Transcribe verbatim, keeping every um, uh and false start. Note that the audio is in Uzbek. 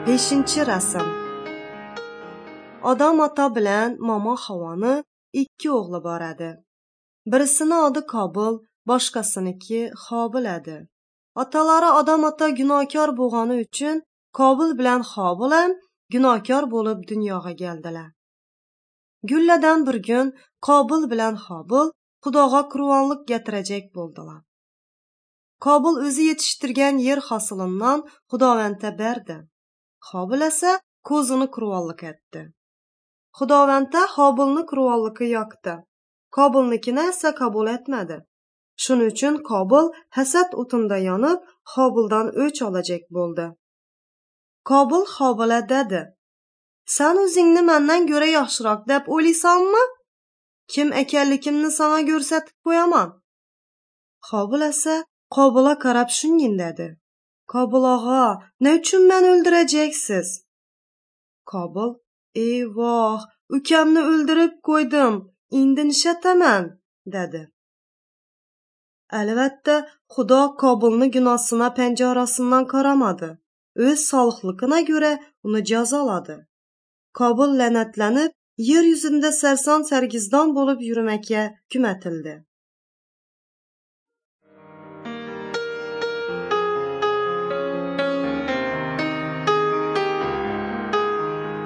Beshinchi rasm. Odam ota bilan Momo Havoni ikki o'g'li bor edi. Birisini odi Qobil, boshqasiniki Hobil edi. Otalari Odam ota gunohkor bo'lgani uchun Qobil bilan Hobil ham gunohkor bo'lib dunyoga keldilar. Gulladan bir kun Qobil bilan Hobil Xudoga qurbonlik getirajak bo'ldilar. Qobil o'zi yetishtirgan yer hosilidan Xudovandga berdi. Hobil esa ko'zini qurbonlik etdi. Xudovandda Hobilni qurbonligi yoqdi. Qobilnikini esa qabul etmadi. Shuning uchun Qobil hasad o'tinda yonib, Hobildan o'ch olajak bo'ldi. Qobil Hobilga dedi: "Sen o'zingni mendan ko'ra yaxshiroq deb o'ylaysanmi? Kim ekanligimni sana ko'rsatib qo'yaman." Hobil esa Qobilga qarab shunday dedi: "Qobil og'a, ne uchun meni o'ldirajaksiz?" Qobil: "Eyvoh, ukamni o'ldirib qo'ydim, endi nishataman?" dedi. Albatta, Xudo Qobilni gunohsina panjarasidan qaramadi. O'z solihligina ko'ra uni jazoladi. Qobil la'natlanib, yer yuzida sarson sargizdon bo'lib yurmakka hukm etildi.